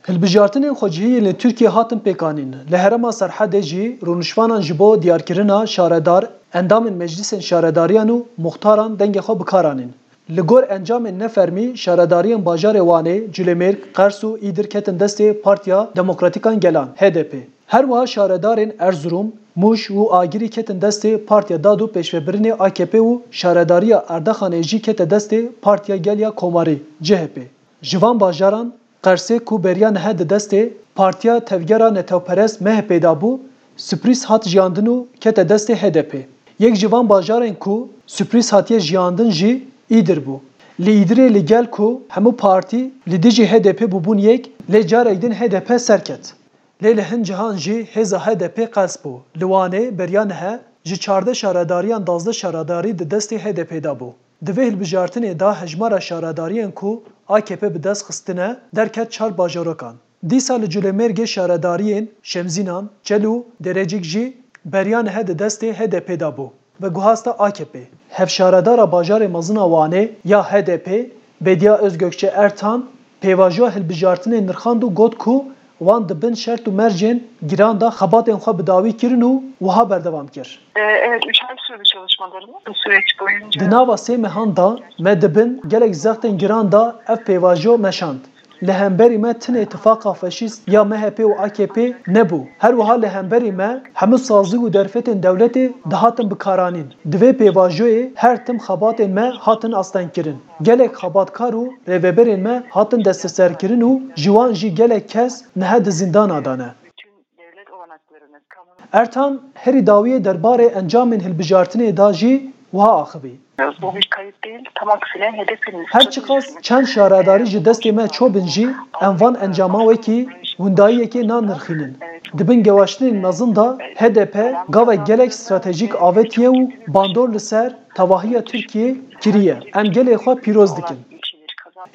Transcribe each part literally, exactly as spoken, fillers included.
Hilbijartinên xwecihî yên li Tirkiyê hatin pêkanîn. Li herêma Serhedê jî rûniştvanan ji bo diyarkirina şaredar, endamên meclîsên şaredariyan û muxtaran dengê xwe bi kar anîn. Li gor encamên nefermî, şaredariyên bajarê Wanê, Culêmêrg, Qers û Îdir ketin destê Partiya Demokratîkan Gelan, H D P. Her wiha şaredarên Erzurum, Mûş û Agirî ketin destê Partiya Dad û Pêşvebirinê, A K P, û şaredariya Erdaxanê jî kete destê Partiya Gel ya Komarî, C H P. Ji van bajaran Qersê ku beriya niha di destê Partiya Tevgera Netewperest, M H P, de bû, sürprîz hat jiyandin û kete destê H D P. Yek ji van bajarên ku sürprîz hatiye jiyandin jî Îdir bû. Li Îdirê li gel ku hemû partî li dijî H D P bûbûn yek, lê carek din H D P serket. Lê li hin cihan jî hêza H D P qels bû. Li Wanê beriya niha ji çardeh şaredariyan duwazdeh şaredarî di destê H D P de bû. Di vê hilbijartinê de hejmara şaredariyên ku A K P bi dest xistine derket çar bajarokan. Dîsa li Culêmêrgê şaredariyên Şemzînan, Çel û Derecik jî beriya niha di destê H D P de bû. Veguhasta A K P. Hevşaredara bajarê mezin a Wanê ya H D P, Bediye Özgökçe Ertan, pêvajoya hilbijartinê nirxand û got ku wan di bin şert û mercên giran de xebatên xwe bi dawî kirin û wiha berdewam kir. Ee, Evet, üç ay sürdü çalışmalarımız. Bu süreç boyunca... Di nava sê mehan de me di bin gelek zextên giran de ev pêvajo meşand. Li hemberî me tinê tifaqa faşîst ya M H P û A K P nebû. Her wiha li hemberî me hemû sazî û derfetên dewletê dihatin bikaranîn. Di vê pêvajoyê her tim xebatên me hatin astengkirin. Gelek xebatkar û rêveberên me hatin desteserkirin û ji wan jî gelek kes niha di zîndana de ne. Ertan herî dawiyê derbarê encamên hilbijartinê de jî wiha axivî. Bu bir kayıp değil, tam aksine H D P'nin... Her çiqas çend şaredarî ji destê me çûbin jî, em van encama wekî windayiyekê nanirxînin. Di bin gewaştinên mezin de H D P gavek gelek stratejîk avêtiye û bandor li ser tevahiya Tirkiyê kiriye. Em gelê xwe pîroz dikin.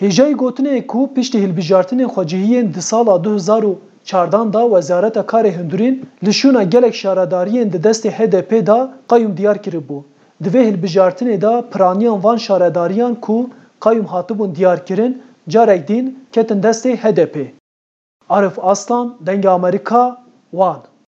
Hêjayî gotinê ye ku piştî hilbijartinên xwecihiyên di sala du hezar û çardan de Wezareta Karê Hundirîn li şûna gelek şaredariyên di destê H D P de qeyûm diyar kiribû. Di vê hilbijartinê de piraniyan van şaredariyan ku qeyûm hatibûn diyarkirin, carek din ketin destê H D P. Arif Aslan, Dengê Amerîka, Wan.